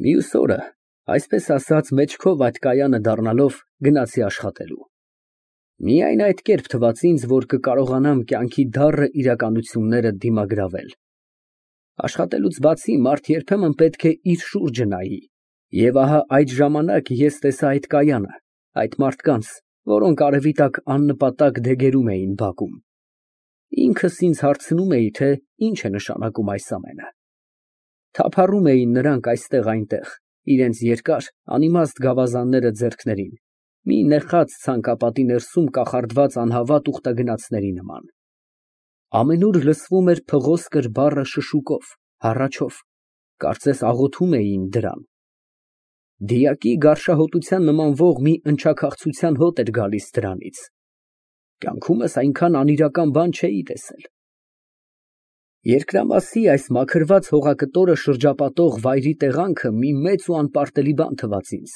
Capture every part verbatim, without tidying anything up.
Մյուս օրը, այսպես ասած, մեջքով այդ կայանը դառնալով, գնացի աշխատելու։ Միայն այդ կերպ թվաց ինձ, որ կկարողանամ կյանքի դառը իրականությունները դիմագրավել։ Աշխատելուց բացի մարդ երբեմն պետք է իր շուրջը նայի, և ահա այդ ժամանակ ես տեսա այդ կայանը, այդ մարդկանց, որոնք արևի տակ աննպատակ դեգերում էին բակում։ Ինքս ինձ հարցնում էի, թե ինչ է նշանակում այս ամենը։ Թափառում էին նրանք այստեղ֊այնտեղ, իրենց երկար, անիմաստ գավազանները ձեռքներին, մի նեխած ցանկապատի ներսում կախարդված անհավատ ուխտագնացների նման։ Ամենուր լսվում էր փղոսկր բառը շշուկով, հառաչով, կարծես աղոթում էին դրան։ Դիակի գարշահոտության նմանվող մի ընչաքաղցության հոտ էր գալիս դրանից։ Կյանքումս այնքան անիրական բան չէի տեսել։ Երկրամասի այս մաքրված հողակտորը շրջապատող վայրի տեղանքը մի մեծ ու անպարտելի բան թվաց ինձ,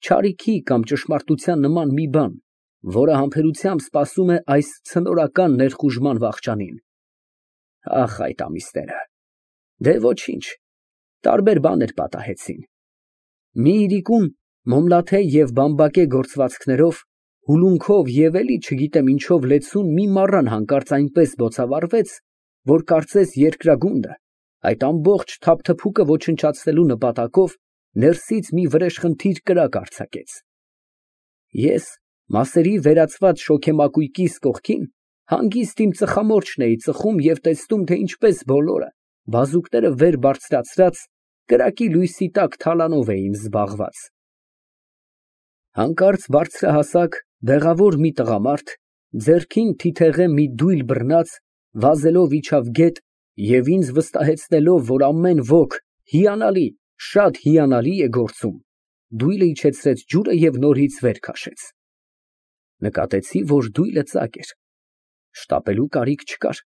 չարիքի կամ ճշմարտության նման մի բան, որը համբերությամբ սպասում է այս ցնորական ներխուժման վախճանին։ Ահ, այդ ամիսները… Դե ոչինչ, տարբեր բաներ պատահեցին։ Մի իրիկուն մոմլաթե և բամբակե գործվածքներով, հուլունքով և էլի չգիտեմ ինչով լեցուն մի մառան հանկարծ այնպես բոցավառվեց, որ կարծես երկրագունդը, այդ ամբողջ թափթփուկը ոչնչացնելու նպատակով, ներսից մի վրեժխնդիր կրակ արձակեց։ Ես, մասերի վերածված շոգեմակույկիս կողքին, հանգիստ իմ ծխամորճն էի ծխում և տեսնում, թե ինչպես բոլորը, բազուկները վեր բարձրացրած, կրակի լույսի տակ թալանով էին զբաղված։ Հանկարծ բարձրահասակ, բեղավոր մի տղամարդ, ձեռքին թիթեղե մի դույլ բռնած, վազելով իջավ գետ և ինձ վստահեցնելով, որ ամեն ոք հիանալի, շատ հիանալի է գործում, դույլը իջեցրեց ջուրը և նորից վեր քաշեց։ Նկատեցի, որ դույլը ծակ էր, շտապելու կարիք չկար։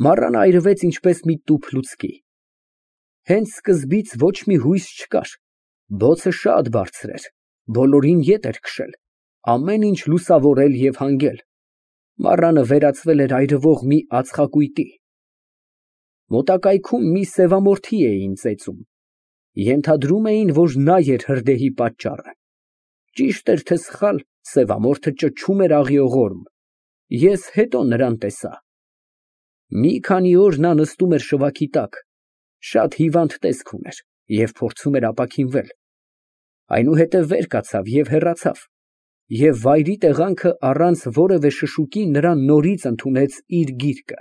Մառանը այրվեց ինչպես մի տուփ լուցկի։ Հենց սկզբից ոչ մի հույս չկար, բոցը շատ բարձր էր, բոլորին ետ էր քշել, ամեն ինչ լուսավորել և հանգել, մառանը վերածվել էր այրվող մի ածխակույտի։ Մոտակայքում մի սևամորթի էին ծեծում, ենթադրում էին, որ նա էր հրդեհի պատճառը։ Ճիշտ էր, թե սխալ, սևամորթը ճչում էր աղիողորմ, ես հետո նրան տեսա։ Մի քանի օր նա նստում էր շվաքի տակ, շատ հիվանդ տեսք ուներ և փորձում էր ապաքինվել, այնուհետև վեր կացավ և հեռացավ, և վայրի տեղանքը առանց որևէ շշուկի նրան նորից ընդունեց իր գիրկը։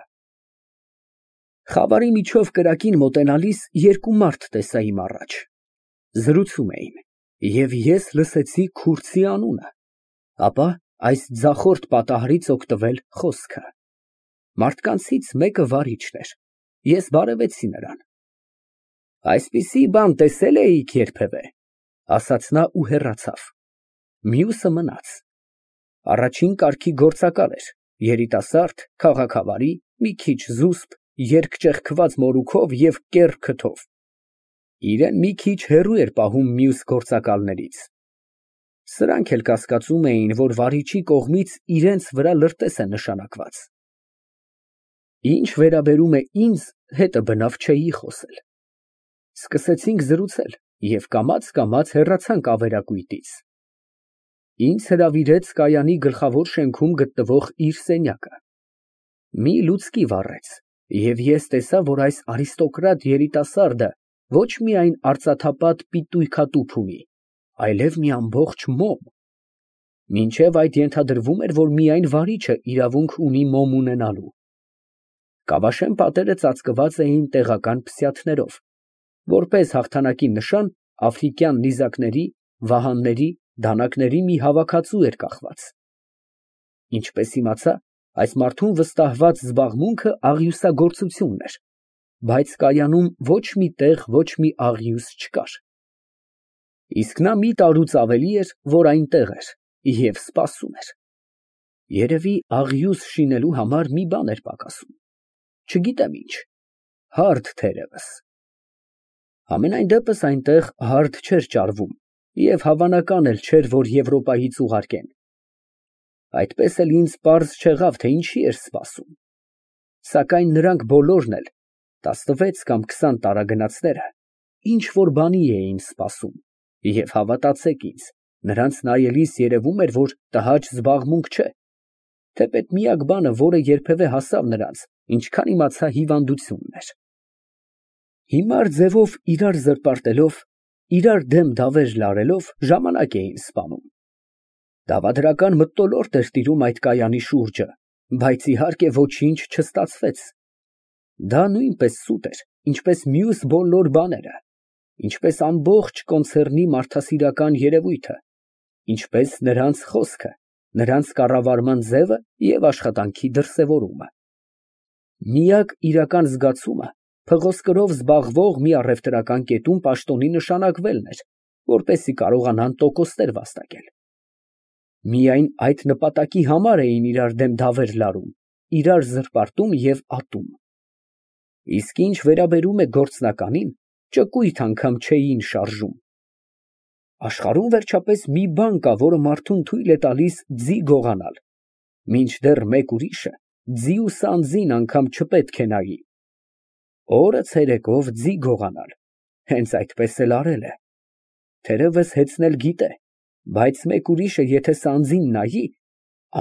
Խավարի միջով կրակին մոտենալիս երկու մարդ տեսա իմ առաջ, զրուցում էին, և ես լսեցի քուրձի անունը, ապա այս ձախորդ պատահարից օգտվել խոսքը։ Մարդկանցից մեկը վարիչն էր, ես բարևեցի նրան։ Այսպիսի բան տեսե՞լ էիք երբևէ, ֊ ասաց նա ու հեռացավ։ Մյուսը մնաց։ Առաջին կարգի գործակալ էր, երիտասարդ, քաղաքավարի, մի քիչ զուսպ, երկճեղքված մորուքով և կեռ քթով, իրան մի քիչ հեռու էր պահում մյուս գործակալներից։ Սրանք էլ կասկածում էին, որ վարիչի կողմից իրենց վրա լրտես է նշանակված։ Ինչ վերաբերում է ինձ, հետը բնավ չէի խոսել։ Սկսեցինք զրուցել և կամաց֊կամաց հեռացանք ավերակույտից։ Ինձ հրավիրեց կայանի գլխավոր շենքում գտնվող իր սենյակը։ Մի լուցկի վառեց, և ես տեսա, որ այս արիստոկրատ երիտասարդը ոչ միայն արծաթապատ պիտույքատուփ ունի, այլև մի ամբողջ մոմ։ Մինչև այդ ենթադրվում էր, որ միայն վարիչը իրավունք ունի մոմ ունենալու։ Կավաշեն պատերը ծածկված էին տեղական փսյաթներով, որպես հաղթանակի նշան աֆրիկյան նիզակների, վահանների, դանակների մի հավաքածու էր կախված։ Ինչպես իմացա, այս մարդուն վստահված զբաղմունքը աղյուսագործությունն էր, բայց կայանում ոչ մի տեղ ոչ մի աղյուս չկար։ Իսկ նա մի տարուց ավելի էր, որ այնտեղ էր և սպասում էր։ Երևի աղյուս շինելու համար մի բան էր պակասում, չգիտեմ ինչ, հարդ թերևս։ Համենայն դեպս այնտեղ հարդ չէր ճարվում և հավանական էլ չէր, որ Եվրոպայից ուղարկեն։ Այդպես էլ ինձ պարզ չեղավ, թե ինչի էր սպասում։ Սակայն նրանք բոլորն էլ, տասնվեց կամ քսան տարագնացները, ինչ որ բանի էին սպասում, և հավատացեք ինձ, նրանց նայելիս երևում էր, որ տհաճ զբաղմունք չէ, թեպետ միակ բանը, որը երբևէ հասավ նրանց, ինչքան իմացա, հիվանդությունն էր։ Հիմար ձևով իրար զրպարտելով, իրար դեմ դավեր լարելով ժամանակ էին սպանում։ Դավադրական մթնոլորտ էր տիրում այդ կայանի շուրջը, բայց իհարկե ոչինչ չստացվեց։ Դա նույնպես սուտ էր, ինչպես մյուս բոլոր բաները, ինչպես ամբողջ կոնցեռնի մարդասիրական երևույթը, ինչպես նրանց խոսքը, նրանց կառավարման ձևը և աշխատանքի դրսևորումը։ Միակ իրական զգացումը փղոսկրով զբաղվող մի առևտրական կետում պաշտոնի նշանակվելն էր, որպեսզի կարողանան տոկոսներ վաստակել։ Միայն այդ նպատակի համար էին իրար դեմ դավեր լարում, իրար զրպարտում և ատում։ Իսկ ինչ վերաբերում է գործնականին, ճկույթ անգամ չէին շարժում։ Աշխարհում վերջապես մի բան կա, որը մարդուն թույլ է տալիս ձի գողանալ, մինչդեռ մեկ ուրիշը ձի ու սանձին անգամ չպետք է նայի։ Օրը ցերեկով ձի գողանալ, հենց այդպես էլ արել է։ Թերևս հեծնել գիտե, բայց մեկ ուրիշը եթե սանձին նայի,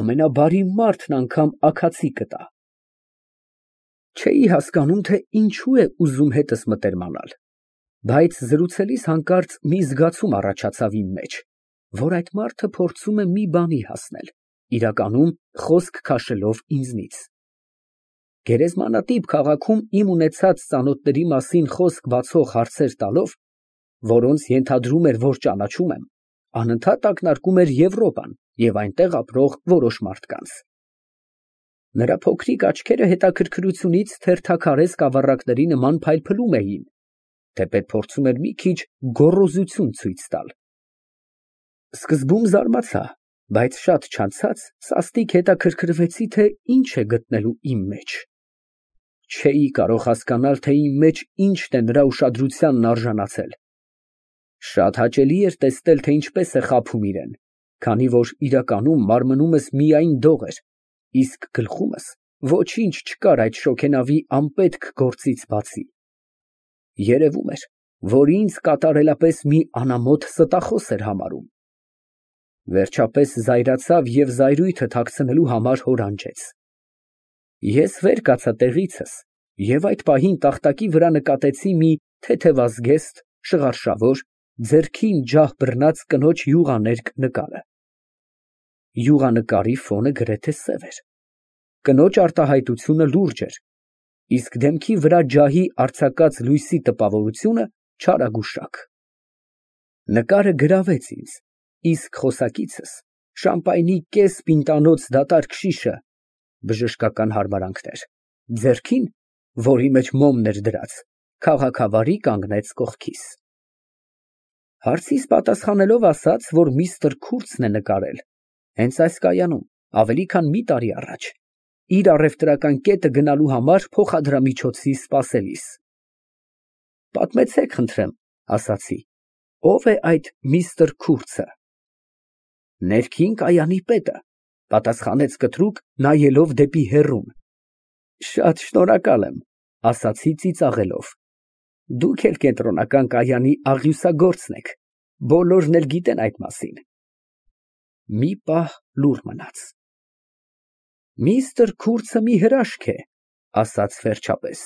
ամենաբարի մարդն անգամ աքացի կտա։ Չէի հասկանում, թե ինչու է ուզում հետս մտերմանալ, բայց զրուցելիս հանկարծ մի զգացում առաջացավ իմ մեջ, որ այդ մարդը փորձում է մի բանի հասնել, իրականում խոսք քաշելով ինձնից։ Գերեզմանատիպ քաղաքում իմ ունեցած ծանոթների մասին խոսք բացող հարցեր տալով, որոնց ենթադրում էր, որ ճանաչում եմ, անընդհատ ակնարկում էր Եվրոպան և այնտեղ ապրող որոշ մարդկանց։ Նրա փոքրիկ աչքերը հետաքրքրությունից թերթաքարե սկավառակների նման փայլփլում էին, թեպետ փորձում էր մի քիչ գոռոզություն ցույց տալ։ Սկզբում զարմացա, բայց շատ չանցած սաստիկ հետաքրքրվեցի, թե ինչ է գտնելու իմ մեջ։ Չէի կարող հասկանալ, թե իմ մեջ ինչն է նրա ուշադրությանն արժանացել։ Շատ հաճելի էր տեսնել, թե ինչպես է խաբում իրան, քանի որ իրականում մարմնումս միայն դող էր, իսկ գլխումս ոչինչ չկար այդ շոգենավի անպետք գործից բացի։ Երևում էր, որ ինձ կատարելապես մի անամոթ ստախոս էր համարում։ Վերջապես զայրացավ և զայրույթը թաքցնելու համար հորանջեց։ Ես վեր կացա տեղիցս և այդ պահին տախտակի վրա նկատեցի մի թեթևազգեստ, շղարշավոր, ձեռքին ջահ բռնած կնոջ յուղաներկ նկարը։ Յուղանկարի ֆոնը գրեթե սև էր։ Կնոջ արտահայտությունը լուրջ էր, իսկ դեմքի վրա ջահի արձակած լույսի տպավորությունը չարագուշակ։ Նկարը գրավեց ինձ, իսկ խոսակիցս շամպայնի կես պինտանոց դատարկ շիշը (բժշկական հարմարանքներ) ձեռքին, որի մեջ մոմն էր դրած, քաղաքավարի կանգնեց կողքիս։ Հարցիս պատասխանելով ասաց, որ միստր Քուրցն է նկարել, հենց այս կայանում, ավելի քան մի տարի առաջ, իր առևտրական կետը գնալու համար փոխադրամիջոցի սպասելիս։ Պատմեցեք, խնդրեմ, ասացի, ո՞վ է այդ միստր Քուրցը։ Ներքին կայանի պետը, պատասխանեց կտրուկ, նայելով դեպի հեռուն։ Շատ շնորհակալ եմ, ասացի ծիծաղելով։ Դուք էլ կենտրոնական կայանի աղյուսագործն եք, բոլորն էլ գիտեն այդ մասին։ Մի պահ լուռ մնաց։ Միստր Քուրցը մի հրաշք է, ասաց վերջապես։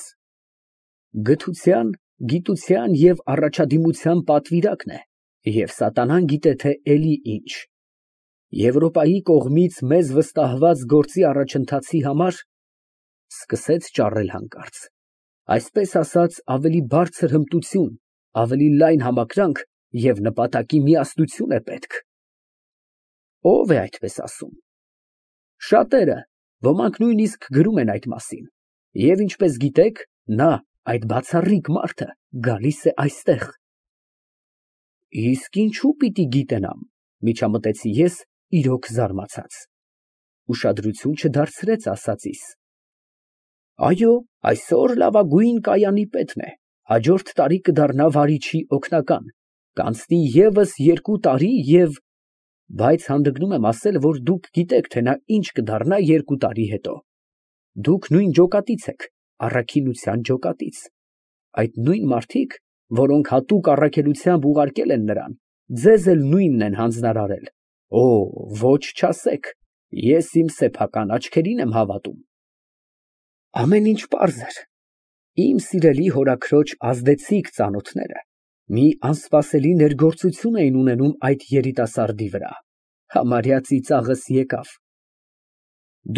Գթության, գիտության և առաջադիմության պատվիրակն է, և սատանան գիտե թե էլի ինչ։ Եվրոպայի կողմից մեզ վստահված գործի առաջընթացի համար (սկսեց ճառել հանկարծ) այսպես ասած, ավելի բարձր հմտություն, ավելի լայն համակրանք և նպատակի միասնություն է պետք։ Ո՞վ է այդպես ասում։ Շատերը, ոմանք նույնիսկ գրում են այդ մասին, և ինչպես գիտեք, նա, այդ բացառիկ մարդը, գալիս է այստեղ։ Իսկ ինչու պիտի գիտենամ, միջամտեցի ես, իրոք զարմացած։ Ուշադրություն չդարձրեց ասածիս։ Այո, այսօր լավագույն կայանի պետն է, հաջորդ տարի կդառնա վարիչի օգնական, կանցնի ևս երկու տարի և… Բայց հանդգնում եմ ասել, որ դուք գիտեք, թե նա ինչ կդառնա երկու տարի հետո։ Դուք նույն ջոկատից եք, առաքինության ջոկատից։ Այդ նույն մարդիկ, որոնք հատուկ առաքելությամբ ուղարկել են նրան, ձեզ էլ նույնն են հանձնարարել, օ, ոչ չասեք, ես իմ սեփական աչքերին եմ հավատում։ Ամեն ինչ պարզ էր։ Իմ սիրելի հորաքրոջ ազդեցիկ ծանոթները մի անսպասելի ներգործություն էին ունենում այդ երիտասարդի վրա, համարյա ծիծաղս եկավ։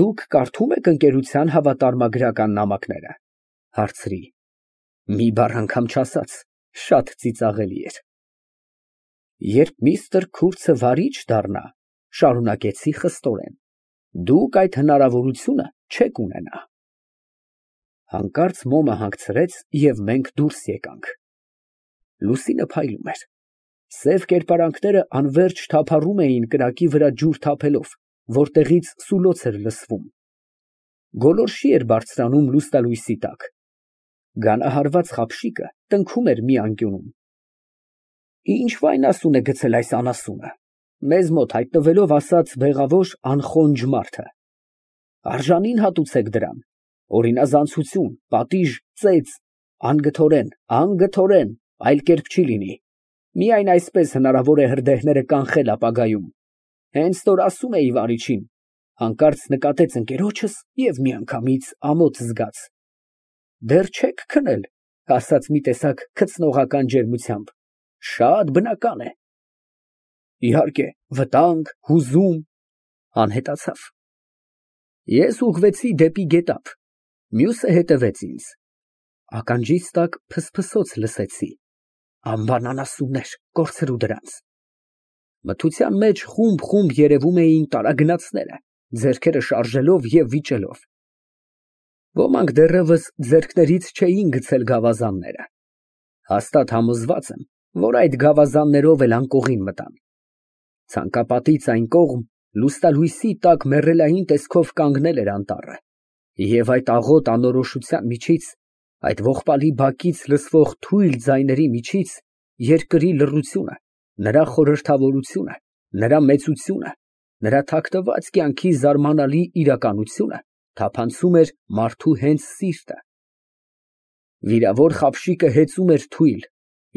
Դուք կարդում եք ընկերության հավատարմագրական նամակները, հարցրի։ Մի բառ անգամ չասաց, շատ ծիծաղելի էր։ Երբ միստր Քուրցը վարիչ դառնա, շարունակեցի խստորեն, դուք այդ հնարավորությունը չեք ունենա։ Հանկարծ մոմը հանգցրեց և մենք դուրս եկանք։ Լուսինը փայլում էր։ Սև կերպարանքները անվերջ թափառում էին կրակի վրա ջուր թափելով, որտեղից սուլոց էր լսվում։ Գոլորշի էր բարձրանում լուսնալույսի տակ։ Գանահարված խապշիկը տնքում էր մի անկյունում։ Ինչ վայնասուն է գցել այս անասունը, մեզ մոտ հայտնվելով ասաց բեղավոր անխոնջ մարդը։ Արժանին հատուցեք դրան, օրինազանցություն, պատիժ, ծեծ, անգթորեն, անգթորեն, այլ կերպ չի լինի, միայն այսպես հնարավոր է հրդեհները կանխել ապագայում։ Հենց նոր ասում էի վարիչին, հանկարծ նկատեց ընկերոջս և միանգամից ամոթ զգաց։ Դեռ չեք քնել, ասաց մի տեսակ քծնողական ջերմությամբ, շատ բնական է։ Իհարկե, վտանգ, հուզում, անհետացավ։ Ես ուղղվեցի դեպի գետափ, մյուսը հետևեց ինձ։ Ականջիս տակ փսփսոց լսեցի։ Անբան անասուններ, կորցրու դրանց։ Մթության մեջ խումբ֊խումբ երևում էին տարագնացները, ձեռքերը շարժելով և վիճելով։ Ոմանք դեռևս ձեռքներից չէին գցել գավազանները։ Հաստատ համոզված եմ, որ այդ գավազաններով էլ անկողին մտան։ Ցանկապատից այն կողմ լուսնալույսի տակ մեռելային տեսքով կանգնել էր անտառը, և այդ աղոտ անորոշության միջից, այդ ողբալի բակից լսվող թույլ ձայների միջից երկրի լռությունը, նրա խորհրդավորությունը, նրա մեծությունը, նրա թաքնված կյանքի զարմանալի իրականությունը թափանցում էր մարդու հենց սիրտը։ Վիրավոր խապշիկը հեծում էր թույլ,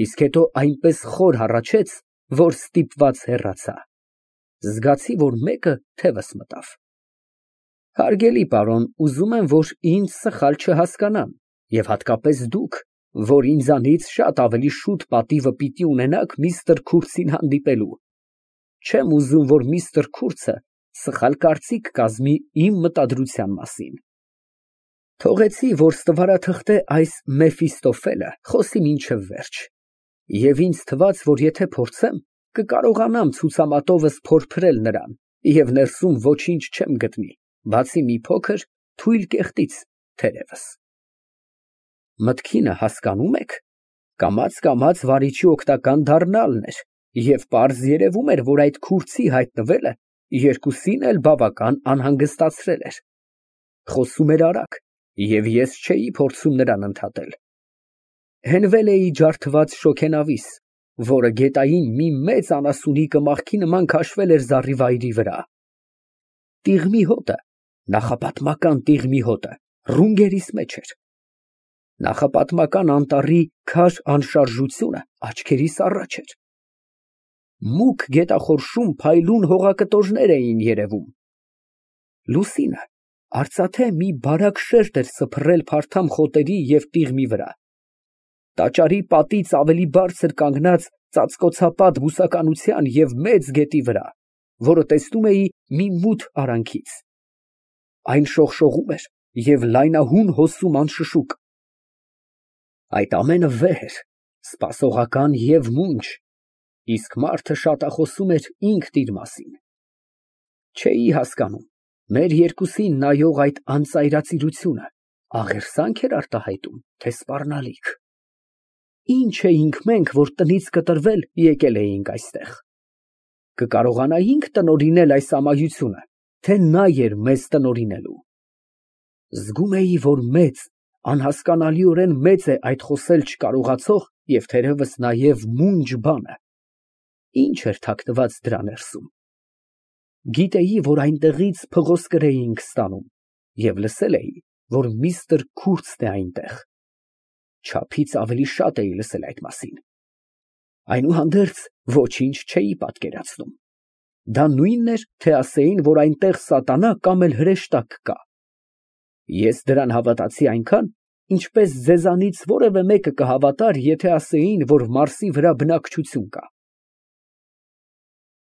իսկ հետո այնպես խոր հառաչեց, որ ստիպված հեռացա։ Զգացի, որ մեկը թևս մտավ։ Հարգելի պարոն, ուզում եմ, որ ինձ սխալ չհասկանան, և հատկապես դուք, որ ինձանից շատ ավելի շուտ պատիվը պիտի ունենաք միստր Քուրցին հանդիպելու։ Չեմ ուզում, որ միստր Քուրցը սխալ կարծիք կազմի իմ մտադրության մասին։ Թողեցի, որ ստվարաթղթե այս Մեֆիստոֆելը խոսի մինչև վերջ, և ինձ թվաց, որ եթե փորձեմ, կկարողանամ ցուցամատովս փորփրել նրան, և ներսում ոչինչ չեմ գտնի, բացի մի փոքր թույլ կեղտից, թերևս։ Մտքինը հասկանում եք, կամաց֊կամաց վարիչի օգտական դառնալն էր, և պարզ երևում էր, որ այդ քուրցի հայտնվելը երկուսին էլ բավական անհանգստացրել էր։ Խոսում էր արագ, և ես չէի փորձում նրան ընդհատել։ Հենվել էի ջարդված շոգենավիս, որը գետային մի մեծ անասունի կմախքի նման քաշվել էր զառիվայրի վրա։ Տիղմի հոտը, նախապատմական տիղմի հոտը, ռունգերիս մեջ էր։ Նախապատմական անտառի քար անշարժությունը աչքերիս առաջ էր։ Մուգ գետախորշում փայլուն հողակտորներ էին երևում։ Լուսինը արծաթե մի բարակ շերտ էր սփռել փարթամ խոտերի և տիղմի վրա։ Տաճարի պատից ավելի բարձր կանգնած ծածկոցապատ բուսականության և մեծ գետի վրա, որը տեսնում էի մի մութ արանքից։ Այն շողշողում էր և լայնահուն հոսում անշշուկ։ Այդ ամենը վեհ էր, սպասողական և մունջ, իսկ մարդը շատախոսում էր ինքն իր մասին։ Չէի հասկանում, մեր երկուսին նայող այդ անծայրածիրությունը աղերսա՞նք էր արտահայտում, թե սպառնալիք։ Ի՞նչ էինք մենք, որ տնից կտրվել եկել էինք այստեղ։ Կկարողանայի՞նք տնօրինել այս ամայությունը, թե նա էր մեզ տնօրինելու։ Զգում էի, որ մեծ, անհասկանալիորեն մեծ է այդ խոսել չկարողացող և թերևս նաև մունջ բանը։ Ինչ էր թաքնված դրա ներսում։ Գիտեի, որ այնտեղից փղոսկր էինք ստանում, և լսել էի, որ միստր Քուրցն է այնտեղ։ չափից ավելի շատ էի լսել այդ մասին։ Այնուհանդերձ ոչինչ չէի պատկերացնում։ Դա նույնն էր, թե ասեին, որ այնտեղ սատանա կամ էլ հրեշտակ կա։ Ես դրան հավատացի այնքան, ինչպես ձեզանից որևէ մեկը կհավատար, եթե ասեին, որ Մարսի վրա բնակչություն կա։